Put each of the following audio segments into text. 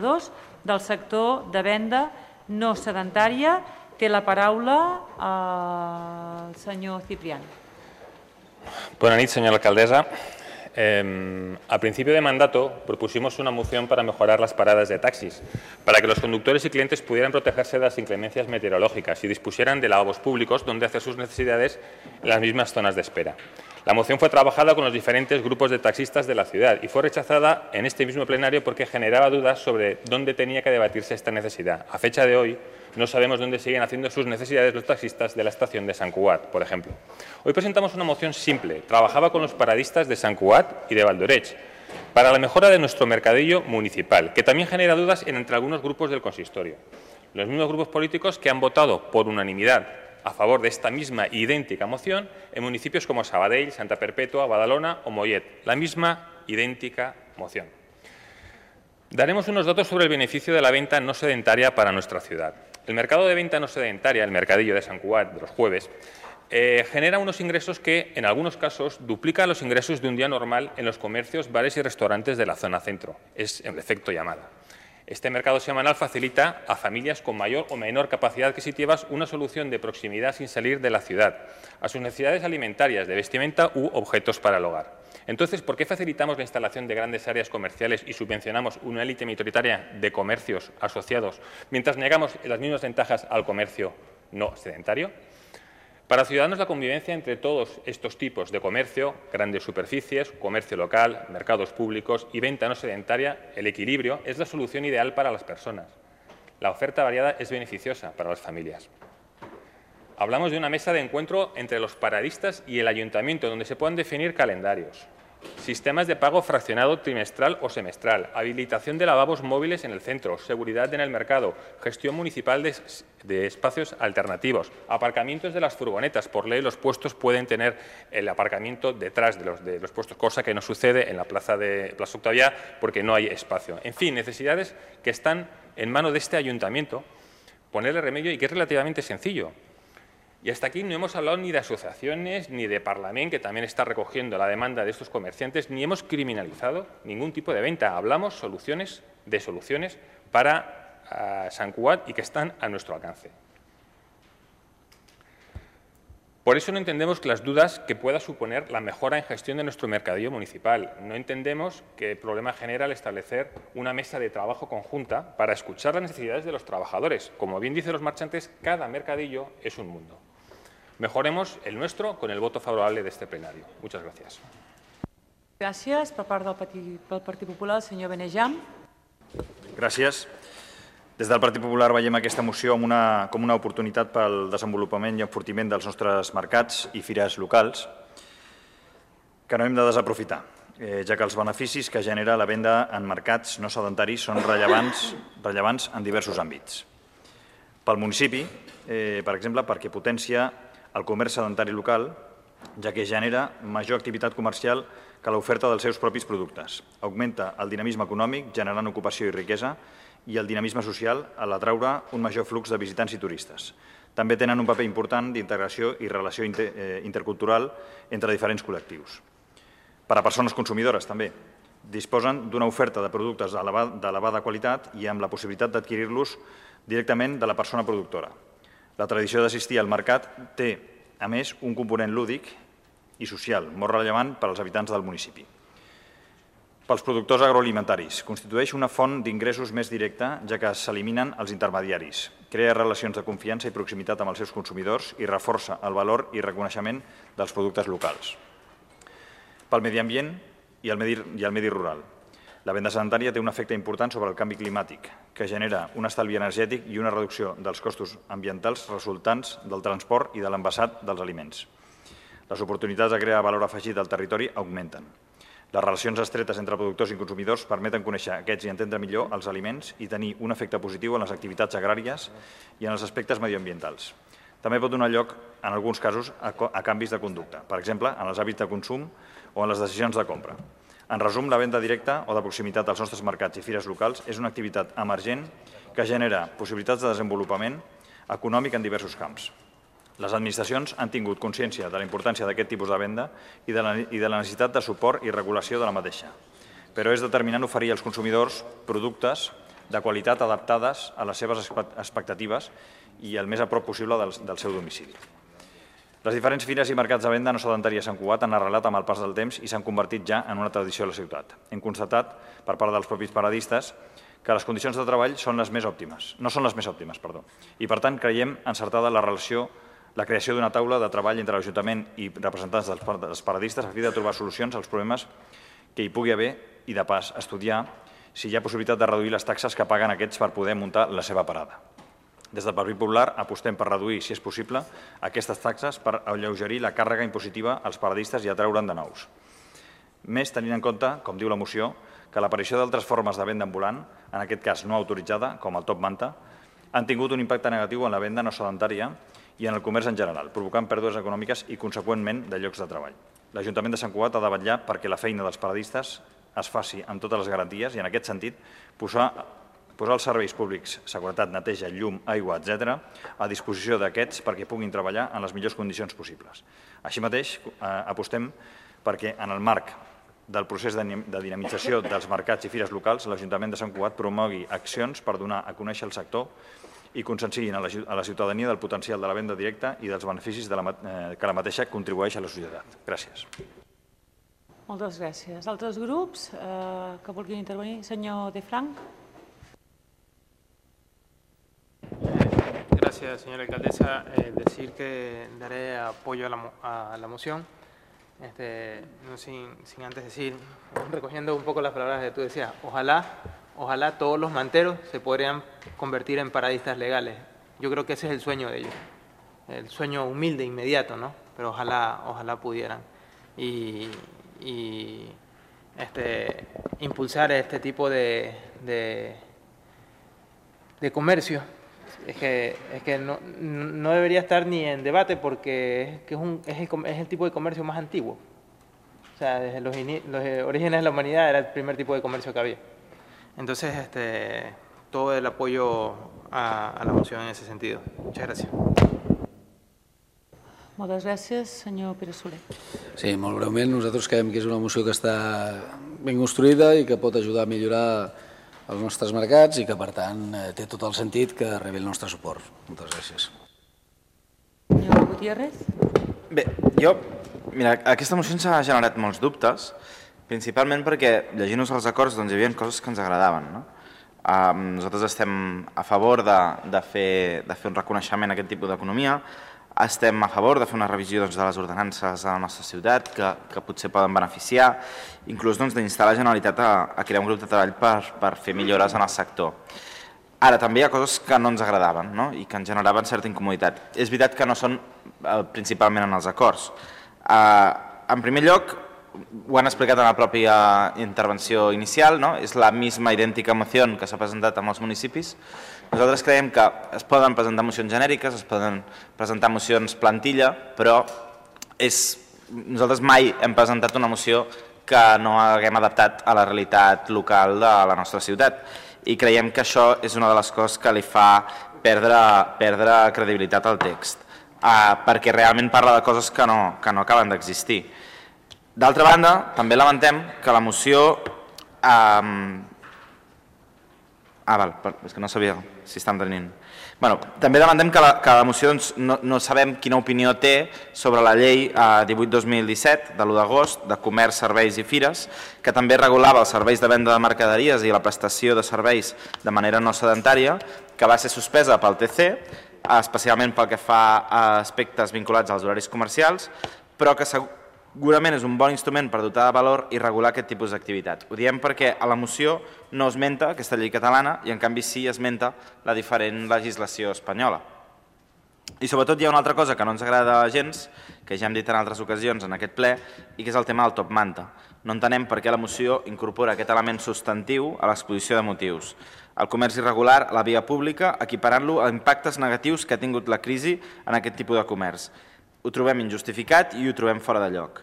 del sector de venda no sedentària. Té la paraula el senyor Ciprián. Buenas noches, señora alcaldesa. A principio de mandato propusimos una moción para mejorar las paradas de taxis, para que los conductores y clientes pudieran protegerse de las inclemencias meteorológicas y dispusieran de lavabos públicos donde hacer sus necesidades en las mismas zonas de espera. La moción fue trabajada con los diferentes grupos de taxistas de la ciudad y fue rechazada en este mismo plenario porque generaba dudas sobre dónde tenía que debatirse esta necesidad. A fecha de hoy, no sabemos dónde siguen haciendo sus necesidades los taxistas de la estación de Sant Cugat, por ejemplo. Hoy presentamos una moción simple. Trabajaba con los paradistas de Sant Cugat y de Valdoreig para la mejora de nuestro mercadillo municipal, que también genera dudas entre algunos grupos del consistorio. Los mismos grupos políticos que han votado por unanimidad a favor de esta misma idéntica moción en municipios como Sabadell, Santa Perpètua, Badalona o Mollet. La misma idéntica moción. Daremos unos datos sobre el beneficio de la venta no sedentaria para nuestra ciudad. El mercado de venta no sedentaria, el mercadillo de Sant Cugat de los jueves, genera unos ingresos que, en algunos casos, duplican los ingresos de un día normal en los comercios, bares y restaurantes de la zona centro. Es el efecto llamada. Este mercado semanal facilita a familias con mayor o menor capacidad adquisitiva una solución de proximidad sin salir de la ciudad, a sus necesidades alimentarias, de vestimenta u objetos para el hogar. Entonces, ¿por qué facilitamos la instalación de grandes áreas comerciales y subvencionamos una élite minoritaria de comercios asociados, mientras negamos las mismas ventajas al comercio no sedentario? Para Ciudadanos, la convivencia entre todos estos tipos de comercio, grandes superficies, comercio local, mercados públicos y venta no sedentaria, el equilibrio es la solución ideal para las personas. La oferta variada es beneficiosa para las familias. Hablamos de una mesa de encuentro entre los paradistas y el ayuntamiento, donde se puedan definir calendarios, sistemas de pago fraccionado trimestral o semestral, habilitación de lavabos móviles en el centro, seguridad en el mercado, gestión municipal de espacios alternativos, aparcamientos de las furgonetas. Por ley, los puestos pueden tener el aparcamiento detrás de los puestos, cosa que no sucede en la Plaza Octavia porque no hay espacio. En fin, necesidades que están en manos de este ayuntamiento, ponerle remedio y que es relativamente sencillo. Y hasta aquí no hemos hablado ni de asociaciones ni de Parlament, que también está recogiendo la demanda de estos comerciantes, ni hemos criminalizado ningún tipo de venta. Hablamos de soluciones para Sant Cugat y que están a nuestro alcance. Por eso no entendemos las dudas que pueda suponer la mejora en gestión de nuestro mercadillo municipal. No entendemos qué problema genera el establecer una mesa de trabajo conjunta para escuchar las necesidades de los trabajadores. Como bien dicen los marchantes, cada mercadillo es un mundo. Mejoremos el nuestro con el voto favorable de este plenario. Muchas gracias. Gràcies. Per part del Partit Popular, el senyor Benejam. Gràcies. Des del Partit Popular veiem aquesta moció com una oportunitat pel desenvolupament i enfortiment dels nostres mercats i fires locals que no hem de desaprofitar, ja que els beneficis que genera la venda en mercats no sedentaris són rellevants en diversos àmbits. Pel municipi, per exemple, perquè potencia el comerç sedentari local, ja que genera major activitat comercial que l'oferta dels seus propis productes. Augmenta el dinamisme econòmic, generant ocupació i riquesa, i el dinamisme social a l'atraure un major flux de visitants i turistes. També tenen un paper important d'integració i relació intercultural entre diferents col·lectius. Per a persones consumidores, també. Disposen d'una oferta de productes d'elevada qualitat i amb la possibilitat d'adquirir-los directament de la persona productora. La tradició d'assistir al mercat té, a més, un component lúdic i social molt rellevant per als habitants del municipi. Pels productors agroalimentaris, constitueix una font d'ingressos més directa, ja que s'eliminen els intermediaris, crea relacions de confiança i proximitat amb els seus consumidors i reforça el valor i reconeixement dels productes locals. Pel medi ambient i el medi rural. La venda sedentària té un efecte important sobre el canvi climàtic, que genera un estalvi energètic i una reducció dels costos ambientals resultants del transport i de l'envasat dels aliments. Les oportunitats de crear valor afegit al territori augmenten. Les relacions estretes entre productors i consumidors permeten conèixer aquests i entendre millor els aliments i tenir un efecte positiu en les activitats agràries i en els aspectes medioambientals. També pot donar lloc, en alguns casos, a canvis de conducta, per exemple, en els hàbits de consum o en les decisions de compra. En resum, la venda directa o de proximitat als nostres mercats i fires locals és una activitat emergent que genera possibilitats de desenvolupament econòmic en diversos camps. Les administracions han tingut consciència de la importància d'aquest tipus de venda i de la necessitat de suport i regulació de la mateixa. Però és determinant oferir als consumidors productes de qualitat adaptades a les seves expectatives i el més a prop possible del seu domicili. Les diferents fires i mercats de venda no sedentària a Sant Cugat han arrelat amb el pas del temps i s'han convertit ja en una tradició a la ciutat. Hem constatat, per part dels propis paradistes, que les condicions de treball no són les més òptimes, i per tant creiem encertada la creació d'una taula de treball entre l'Ajuntament i representants dels paradistes a fi de trobar solucions als problemes que hi pugui haver i, de pas, estudiar si hi ha possibilitat de reduir les taxes que paguen aquests per poder muntar la seva parada. Des del Partit Popular apostem per reduir, si és possible, aquestes taxes per alleugerir la càrrega impositiva als paradistes i atraure'n de nous. Més tenint en compte, com diu la moció, que l'aparició d'altres formes de venda ambulant, en aquest cas no autoritzada, com el top manta, han tingut un impacte negatiu en la venda no sedentària i en el comerç en general, provocant pèrdues econòmiques i, conseqüentment, de llocs de treball. L'Ajuntament de Sant Cugat ha de vetllar perquè la feina dels paradistes es faci amb totes les garanties i, en aquest sentit, posar els serveis públics, seguretat, neteja, llum, aigua, etc., a disposició d'aquests perquè puguin treballar en les millors condicions possibles. Així mateix, apostem perquè, en el marc del procés de dinamització dels mercats i fires locals, l'Ajuntament de Sant Cugat promogui accions per donar a conèixer el sector i conscienciïn a la ciutadania del potencial de la venda directa i dels beneficis que la mateixa contribueix a la societat. Gràcies. Moltes gràcies. Altres grups que vulguin intervenir? Senyor De Frank. Gracias, señora alcaldesa. Decir que daré apoyo a la moción. No sin antes decir, recogiendo un poco las palabras que tú decías, ojalá todos los manteros se podrían convertir en paradistas legales. Yo creo que ese es el sueño de ellos, el sueño humilde, inmediato, ¿no? Pero ojalá pudieran. Y impulsar este tipo de comercio. Es que no debería estar ni en debate porque es el tipo de comercio más antiguo. O sea, desde los orígenes de la humanidad era el primer tipo de comercio que había. Entonces, todo el apoyo a la moción en ese sentido. Muchas gracias. Moltes gràcies. Senyor Pere Soler. Sí, molt breument. Nosaltres creiem que és una moció que està ben construïda i que pot ajudar a millorar els nostres mercats i que, per tant, té tot el sentit que rebi el nostre suport. Moltes gràcies. Senyor Gutiérrez. Bé, mira, aquesta moció ens ha generat molts dubtes, principalment perquè, llegint-nos els acords, doncs hi havia coses que ens agradaven. Nosaltres estem a favor de fer un reconeixement a aquest tipus d'economia, estem a favor de fer una revisió de les ordenances de la nostra ciutat que potser poden beneficiar, inclús d'instar la Generalitat a crear un grup de treball per fer millores en el sector. Ara, també hi ha coses que no ens agradaven i que ens generaven certa incomoditat. És veritat que no són principalment en els acords. En primer lloc, ho han explicat en la pròpia intervenció inicial, és la misma idèntica moció que s'ha presentat a molts municipis. Nosaltres creiem que es poden presentar mocions genèriques, es poden presentar mocions plantilla, però nosaltres mai hem presentat una moció que no haguem adaptat a la realitat local de la nostra ciutat. I creiem que això és una de les coses que li fa perdre credibilitat al text, perquè realment parla de coses que no acaben d'existir. D'altra banda, també lamentem que la moció... és que no sabia si està entenent. També lamentem que la moció no sabem quina opinió té sobre la llei 18/2017, de l'1 d'agost, de comerç, serveis i fires, que també regulava els serveis de venda de mercaderies i la prestació de serveis de manera no sedentària, que va ser suspesa pel TC, especialment pel que fa a aspectes vinculats als horaris comercials, però que segurament és un bon instrument per dotar de valor i regular aquest tipus d'activitat. Ho diem perquè a la moció no esmenta aquesta llei catalana i en canvi sí esmenta la diferent legislació espanyola. I sobretot hi ha una altra cosa que no ens agrada gens, que ja hem dit en altres ocasions en aquest ple, i que és el tema del top manta. No entenem per què la moció incorpora aquest element substantiu a l'exposició de motius. El comerç irregular a la via pública, equiparant-lo a impactes negatius que ha tingut la crisi en aquest tipus de comerç. Ho trobem injustificat i ho trobem fora de lloc.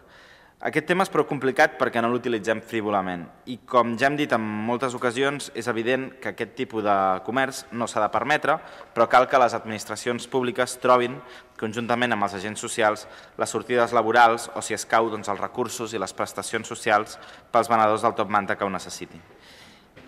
Aquest tema és prou complicat perquè no l'utilitzem frívolament i, com ja hem dit en moltes ocasions, és evident que aquest tipus de comerç no s'ha de permetre, però cal que les administracions públiques trobin, conjuntament amb els agents socials, les sortides laborals o, si escau, els recursos i les prestacions socials pels venedors del top manta que ho necessitin.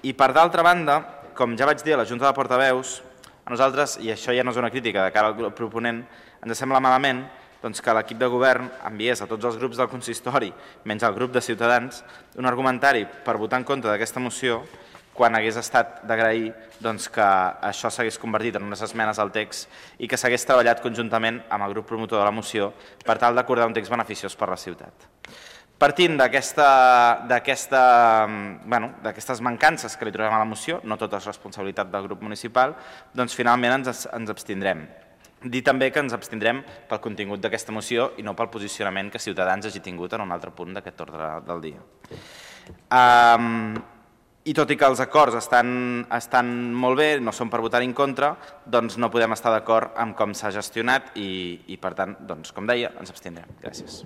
I, per d'altra banda, com ja vaig dir a la Junta de Portaveus, a nosaltres, i això ja no és una crítica de cara al grup proponent, ens sembla malament que l'equip de govern enviés a tots els grups del consistori, menys al grup de Ciutadans, un argumentari per votar en contra d'aquesta moció quan hagués estat d'agrair que això s'hagués convertit en unes esmenes al text i que s'hagués treballat conjuntament amb el grup promotor de la moció per tal d'acordar un text beneficiós per a la ciutat. Partint d'aquestes mancances que li trobem a la moció, no tot és responsabilitat del grup municipal, doncs finalment ens abstindrem. Dir també que ens abstindrem pel contingut d'aquesta moció i no pel posicionament que Ciutadans hagi tingut en un altre punt d'aquest ordre del dia. I tot i que els acords estan molt bé, no són per votar en contra, doncs no podem estar d'acord amb com s'ha gestionat i per tant, com deia, ens abstindrem. Gràcies.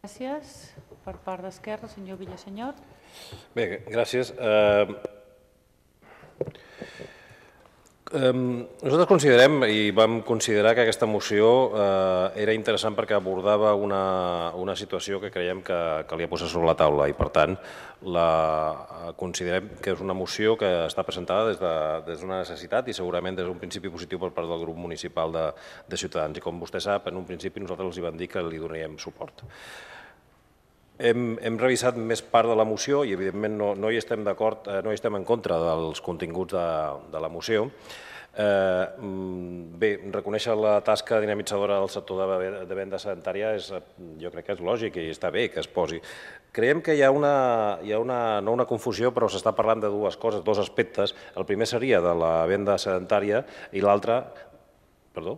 Gràcies. Per part d'Esquerra, senyor Villasenyor. Bé, gràcies. Nosaltres considerem i vam considerar que aquesta moció era interessant perquè abordava una situació que creiem que calia posar sobre la taula i, per tant, considerem que és una moció que està presentada des d'una necessitat i segurament des d'un principi positiu per part del grup municipal de Ciutadans. I com vostè sap, en un principi nosaltres els vam dir que li donaríem suport. Hem revisat més part de la moció i, evidentment, no hi estem d'acord, no hi estem en contra dels continguts de la moció. Bé, reconèixer la tasca dinamitzadora del sector de venda sedentària jo crec que és lògic i està bé que es posi. Creiem que hi ha no una confusió, però s'està parlant de dues coses, dos aspectes. El primer seria de la venda sedentària i l'altre... Perdó?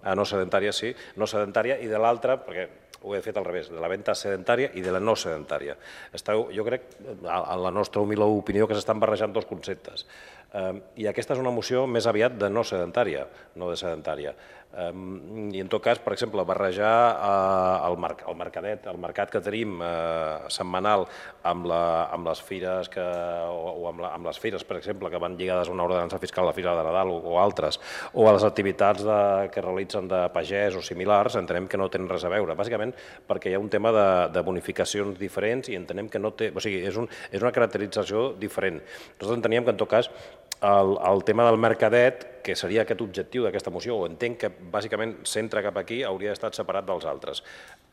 No sedentària, sí, no sedentària, i de l'altra, perquè ho he fet al revés, de la venda sedentària i de la no sedentària. Jo crec, en la nostra humil opinió, que s'estan barrejant dos conceptes. I aquesta és una moció més aviat de no sedentària, no de sedentària. I en tot cas, per exemple, barrejar el mercat que tenim setmanal amb les fires, per exemple, que van lligades a una ordenança fiscal, la Fira de Nadal o altres, o a les activitats que realitzen de pagès o similars, entenem que no tenen res a veure. Bàsicament perquè hi ha un tema de bonificacions diferents i entenem que no té... O sigui, és una caracterització diferent. Nosaltres enteníem que, en tot cas, el tema del mercadet, que seria aquest objectiu d'aquesta moció, o entenc que bàsicament centra cap aquí, hauria estat separat dels altres.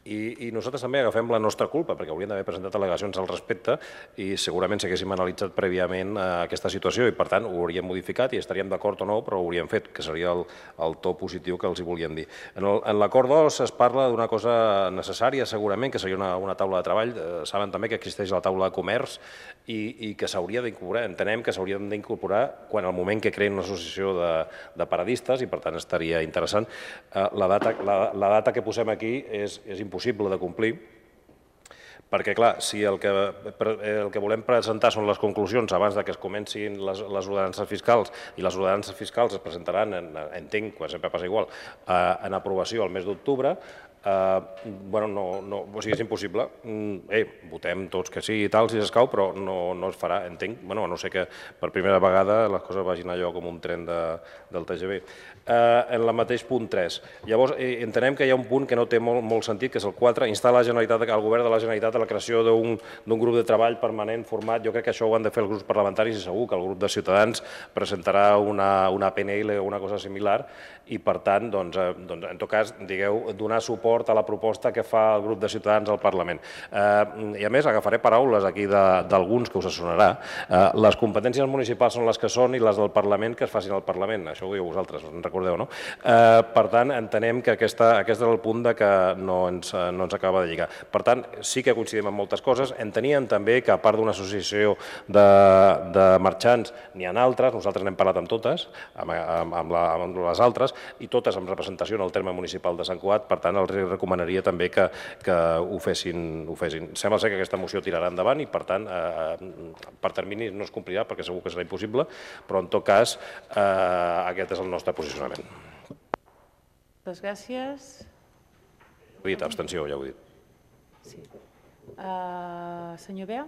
I nosaltres també agafem la nostra culpa, perquè hauríem d'haver presentat al·legacions al respecte i segurament s'haguéssim analitzat prèviament aquesta situació i, per tant, ho hauríem modificat i estaríem d'acord o no, però ho hauríem fet, que seria el to positiu que els hi volíem dir. En l'acord 2 es parla d'una cosa necessària, segurament, que seria una taula de treball. Saben també que existeix la taula de comerç i que s'hauria d'incorporar, entenem que s'haurien d'incorporar quan al moment que creen una associació de paradistes i, per tant, estaria interessant. La data que posem aquí és impossible de complir, perquè, clar, si el que volem presentar són les conclusions abans que es comencin les ordenances fiscals, i les ordenances fiscals es presentaran, entenc, quan sempre passa igual, en aprovació al mes d'octubre, és impossible. Votem tots que sí i tal, si s'escau, però no es farà, entenc, a no ser que per primera vegada les coses vagin allò com un tren del TGV. En el mateix punt 3. Llavors, entenem que hi ha un punt que no té molt sentit, que és el 4, instar el govern de la Generalitat a la creació d'un grup de treball permanent format. Jo crec que això ho han de fer els grups parlamentaris i segur que el grup de Ciutadans presentarà una PNL o una cosa similar i, per tant, en tot cas, digueu, donar suport a la proposta que fa el grup de Ciutadans al Parlament. I, a més, agafaré paraules aquí d'alguns que us sonarà. Les competències municipals són les que són i les del Parlament que es facin al Parlament. Això ho diu vosaltres, en recordeu, no? Per tant, entenem que aquest és el punt que no ens acaba de lligar. Per tant, sí que coincidim en moltes coses. Enteníem també que, a part d'una associació de marxants, n'hi ha altres, nosaltres n'hem parlat amb totes, amb les altres, i totes amb representació en el terme municipal de Sant Cugat. Per tant, els recomanaria també que ho fessin. Sembla ser que aquesta moció tirarà endavant i, per tant, per termini no es complirà perquè segur que serà impossible, però en tot cas aquest és el nostre posicionament. Moltes gràcies. Ho he dit, abstenció, ja ho he dit. Sí. Senyor Bea?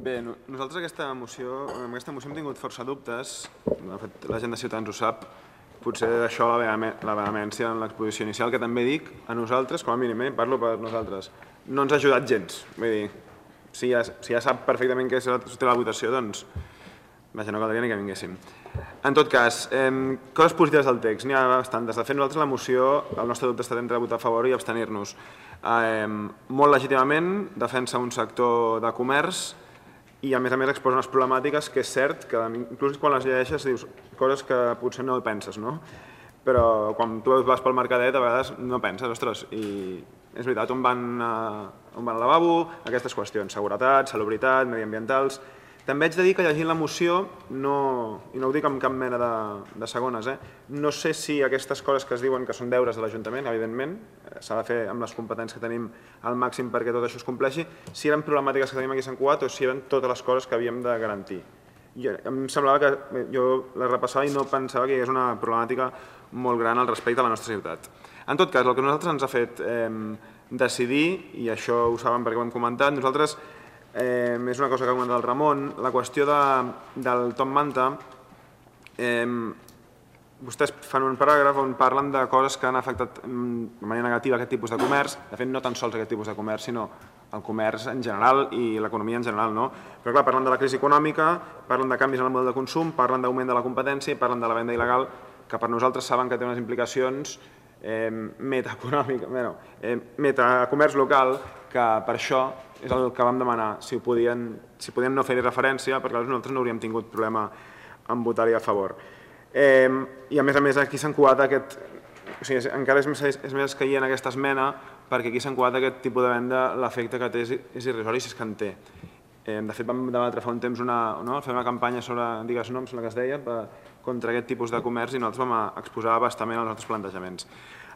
Bé, nosaltres amb aquesta moció hem tingut força dubtes, de fet la gent de Ciutadans ho sap, potser d'això la vehemència en l'exposició inicial, que també dic a nosaltres, com a mínim, parlo per nosaltres, no ens ha ajudat gens. Vull dir, si ja sap perfectament què té la votació, doncs vaja, no caldria ni que vinguéssim. En tot cas, coses positives del text, n'hi ha bastantes. De fet, nosaltres la moció, el nostre dubte està entre votar a favor i abstenir-nos. Molt legítimament defensa un sector de comerç i a més exposa unes problemàtiques que és cert que inclús quan les llegeixes dius coses que potser no penses, no? Però quan tu vas pel mercadet a vegades no penses, ostres, i és veritat, on van al lavabo, aquestes qüestions, seguretat, salubritat, mediambientals. També haig de dir que llegint la moció, i no ho dic amb cap mena de segones, no sé si aquestes coses que es diuen que són deures de l'Ajuntament, evidentment, s'ha de fer amb les competències que tenim al màxim perquè tot això es compleixi, si eren problemàtiques que tenim aquí a Sant Cugat o si eren totes les coses que havíem de garantir. Em semblava que jo la repassava i no pensava que hi hagués una problemàtica molt gran al respecte a la nostra ciutat. En tot cas, el que a nosaltres ens ha fet decidir, i això ho saben perquè ho hem comentat, nosaltres és una cosa que ha comentat el Ramon, la qüestió del Top Manta, vostès fan un paràgraf on parlen de coses que han afectat de manera negativa aquest tipus de comerç, de fet no tan sols aquest tipus de comerç, sinó el comerç en general i l'economia en general, no? Però clar, parlen de la crisi econòmica, parlen de canvis en el model de consum, parlen d'augment de la competència i parlen de la venda il·legal, que per nosaltres saben que té unes implicacions metacomerç local, que per això és el que vam demanar, si podien no fer-hi referència, perquè nosaltres no hauríem tingut problema en votar-hi a favor. I a més aquí s'ha encuat encara és més escaient aquesta esmena, perquè aquí s'ha encuat aquest tipus de venda, l'efecte que té és irrisori si és que en té. De fet, vam debatre fa un temps fer una campanya sobre, digues no, em sembla que es deia, contra aquest tipus de comerç i nosaltres vam exposar bastament els nostres plantejaments.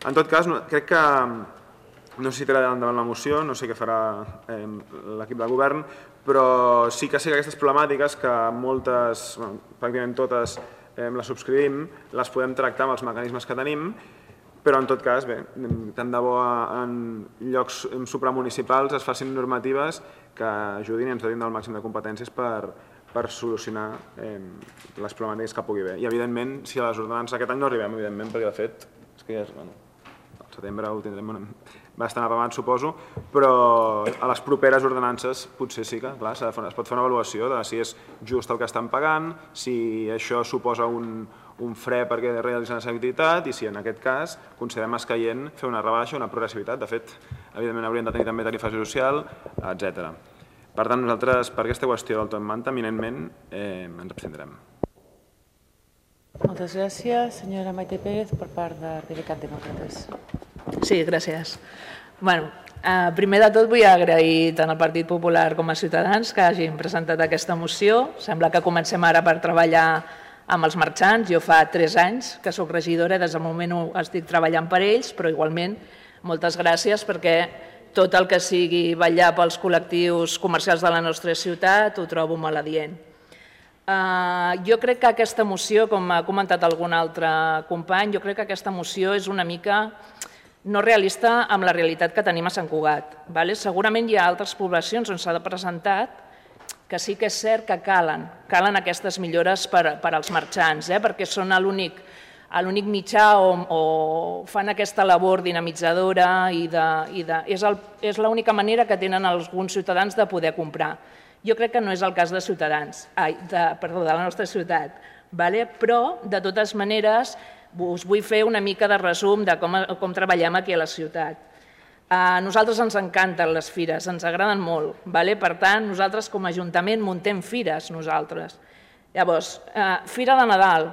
En tot cas, crec que no sé si tirarà endavant la moció, no sé què farà l'equip de govern, però sí que sé que aquestes problemàtiques, que moltes, pràcticament totes, les subscrivim, les podem tractar amb els mecanismes que tenim, però en tot cas, bé, tant de bo en llocs supramunicipals es facin normatives que ajudin i ens donin el màxim de competències per solucionar les problemàtiques que pugui haver. I evidentment, si a les ordenances aquest any no arribem, evidentment, perquè de fet, és que ja és, al setembre ho tindrem bastant apamat, suposo, però a les properes ordenances potser sí que es pot fer una avaluació de si és just el que estan pagant, si això suposa un fre perquè realitzen aquesta activitat i si en aquest cas considerem escaient fer una rebaixa, una progressivitat. De fet, evidentment hauríem de tenir també tarifa social, etc. Per tant, nosaltres, per aquesta qüestió del Top Manta, eminentment ens abstindrem. Moltes gràcies. Senyora Maite Pérez, per part de Rebecat Demòcrates. Sí, gràcies. Primer de tot vull agrair tant al Partit Popular com a Ciutadans que hagin presentat aquesta moció. Sembla que comencem ara per treballar amb els marxants. Jo fa 3 anys que soc regidora, des del moment 1 estic treballant per ells, però igualment moltes gràcies perquè tot el que sigui vetllar pels col·lectius comercials de la nostra ciutat ho trobo molt adient. Jo crec que aquesta moció, com ha comentat algun altre company, jo crec que aquesta moció és una mica no realista amb la realitat que tenim a Sant Cugat. Segurament hi ha altres poblacions on s'ha presentat que sí que és cert que calen aquestes millores per als marxants, perquè són l'únic mitjà o fan aquesta labor dinamitzadora i és l'única manera que tenen alguns ciutadans de poder comprar. Jo crec que no és el cas de la nostra ciutat, però de totes maneres us vull fer una mica de resum de com treballem aquí a la ciutat. A nosaltres ens encanten les fires, ens agraden molt. Per tant, nosaltres com a Ajuntament muntem fires nosaltres. Llavors, Fira de Nadal,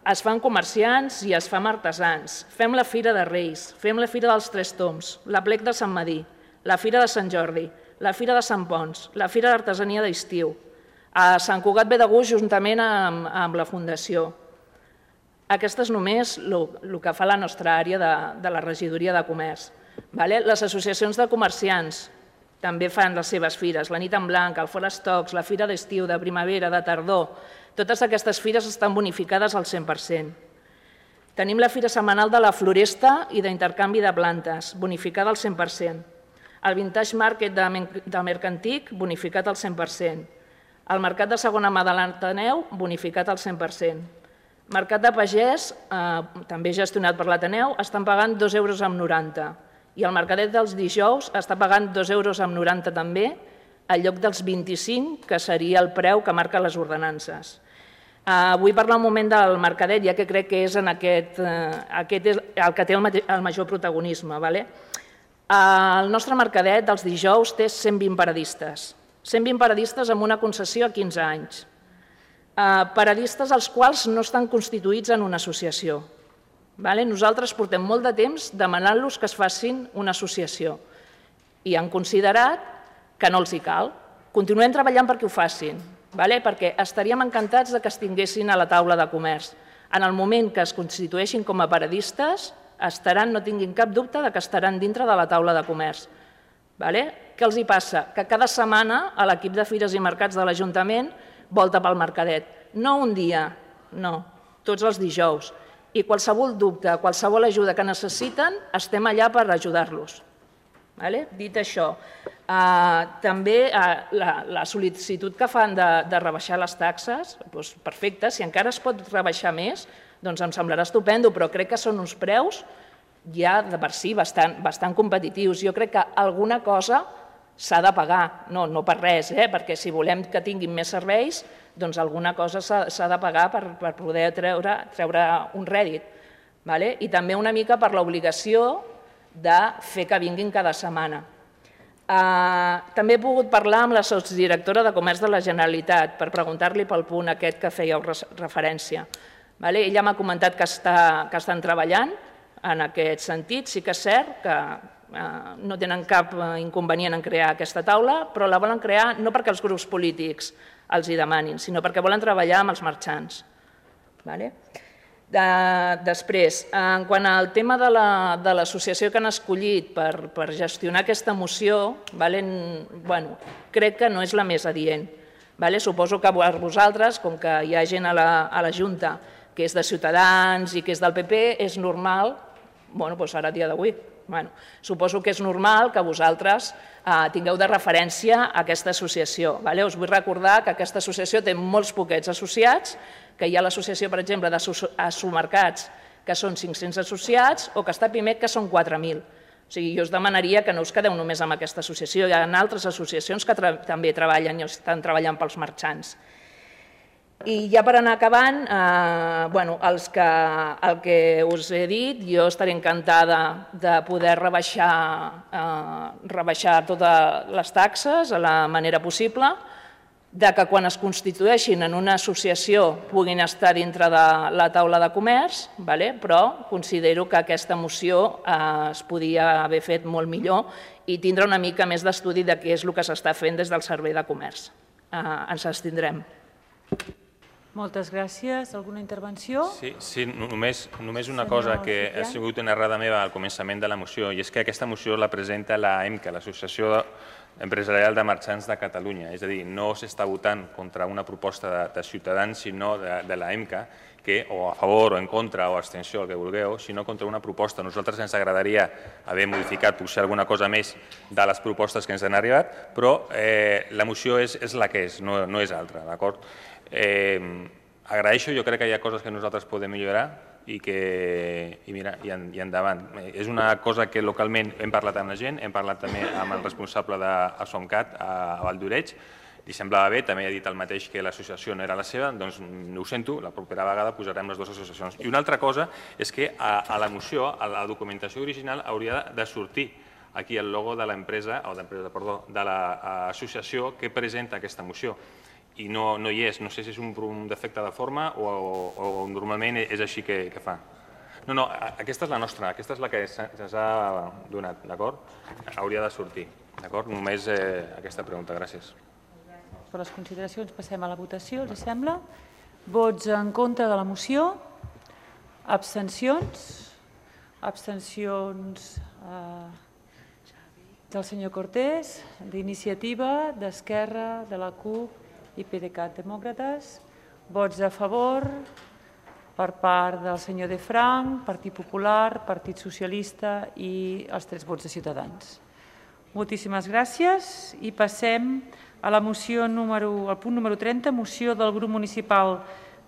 es fan comerciants i es fan artesans. Fem la Fira de Reis, fem la Fira dels Tres Tombs, l'Aplec de Sant Madí, la Fira de Sant Jordi, la Fira de Sant Pons, la Fira d'Artesania d'Estiu. A Sant Cugat ve de gust juntament amb la Fundació. Aquesta és només el que fa la nostra àrea de la regidoria de comerç. Les associacions de comerciants també fan les seves fires, la Nit en Blanc, el Fora Estocs, la Fira d'Estiu, de primavera, de tardor. Totes aquestes fires estan bonificades al 100%. Tenim la Fira Setmanal de la Floresta i d'Intercanvi de Plantes, bonificada al 100%. El Vintage Market de Mercantic, bonificat al 100%. El Mercat de Segona Mà de l'Ateneu, bonificat al 100%. Mercat de Pagès, també gestionat per l'Ateneu, estan pagant 2,90 € i el Mercadet dels dijous està pagant 2,90 € també en lloc dels 25, que seria el preu que marquen les ordenances. Vull parlar un moment del mercadet, ja que crec que és el que té el major protagonisme. El nostre mercadet dels dijous té 120 paradistes. 120 paradistes amb una concessió a 15 anys. Paradistes els quals no estan constituïts en una associació. Nosaltres portem molt de temps demanant-los que es facin una associació i han considerat que no els hi cal. Continuem treballant perquè ho facin, perquè estaríem encantats que es tinguessin a la taula de comerç. En el moment que es constitueixin com a paradistes, no tinguin cap dubte que estaran dintre de la taula de comerç. Què els hi passa? Que cada setmana l'equip de Fires i Mercats de l'Ajuntament volta pel mercadet. No un dia, no, tots els dijous. I qualsevol dubte, qualsevol ajuda que necessiten, estem allà per ajudar-los. Dit això, també la sol·licitud que fan de rebaixar les taxes, perfecte, si encara es pot rebaixar més, doncs em semblarà estupendo, però crec que són uns preus ja de per si bastant competitius. Jo crec que alguna cosa s'ha de pagar, no per res, perquè si volem que tinguin més serveis, doncs alguna cosa s'ha de pagar per poder treure un rèdit. I també una mica per l'obligació de fer que vinguin cada setmana. També he pogut parlar amb la sotsdirectora de Comerç de la Generalitat per preguntar-li pel punt aquest que fèieu referència. Ella m'ha comentat que estan treballant en aquest sentit. Sí que és cert que no tenen cap inconvenient en crear aquesta taula, però la volen crear no perquè els grups polítics els hi demanin, sinó perquè volen treballar amb els marxants. Després, en quant al tema de l'associació que han escollit per gestionar aquesta moció, crec que no és la més adient. Suposo que vosaltres, com que hi ha gent a la Junta que és de Ciutadans i que és del PP, és normal, ara a dia d'avui, suposo que és normal que vosaltres tingueu de referència aquesta associació. Us vull recordar que aquesta associació té molts poquets associats, que hi ha l'associació, per exemple, d'Assumercats, que són 500 associats, o que està Pimec, que són 4.000. Jo us demanaria que no us quedeu només amb aquesta associació. Hi ha altres associacions que també treballen i estan treballant pels marxants. I ja per anar acabant, el que us he dit, jo estaré encantada de poder rebaixar totes les taxes a la manera possible, que quan es constitueixin en una associació puguin estar dintre de la taula de comerç, però considero que aquesta moció es podia haver fet molt millor i tindre una mica més d'estudi de què és el que s'està fent des del Servei de Comerç. Ens abstindrem. Moltes gràcies. Alguna intervenció? Sí, només una cosa que ha sigut una errada meva al començament de la moció, i és que aquesta moció la presenta l'AEMCA, l'Associació Empresarial de Marxants de Catalunya. És a dir, no s'està votant contra una proposta de Ciutadans, sinó de l'AEMCA, que o a favor o en contra o abstenció, el que vulgueu, sinó contra una proposta. A nosaltres ens agradaria haver modificat potser alguna cosa més de les propostes que ens han arribat, però la moció és la que és, no és altra, d'acord? Agraeixo, jo crec que hi ha coses que nosaltres podem millorar i endavant. És una cosa que localment hem parlat amb la gent, hem parlat també amb el responsable d'Assomcat a Valldoreix, li semblava bé, també ha dit el mateix que l'associació no era la seva, doncs ho sento, la propera vegada posarem les dues associacions. I una altra cosa és que a la moció, a la documentació original, hauria de sortir aquí el logo de l'empresa, de l'associació que presenta aquesta moció. I no hi és. No sé si és un defecte de forma o normalment és així que fa. No, aquesta és la nostra, aquesta és la que se'ns ha donat, d'acord? Hauria de sortir, d'acord? Només aquesta pregunta, gràcies. Per les consideracions passem a la votació, els sembla? Vots en contra de la moció? Abstencions? Abstencions del senyor Cortés, d'Iniciativa, d'Esquerra, de la CUP i PDeCAT Demòcrates. Vots a favor per part del senyor De Frank, Partit Popular, Partit Socialista i els 3 vots de Ciutadans. Moltíssimes gràcies i passem a la moció al punt número 30, moció del grup municipal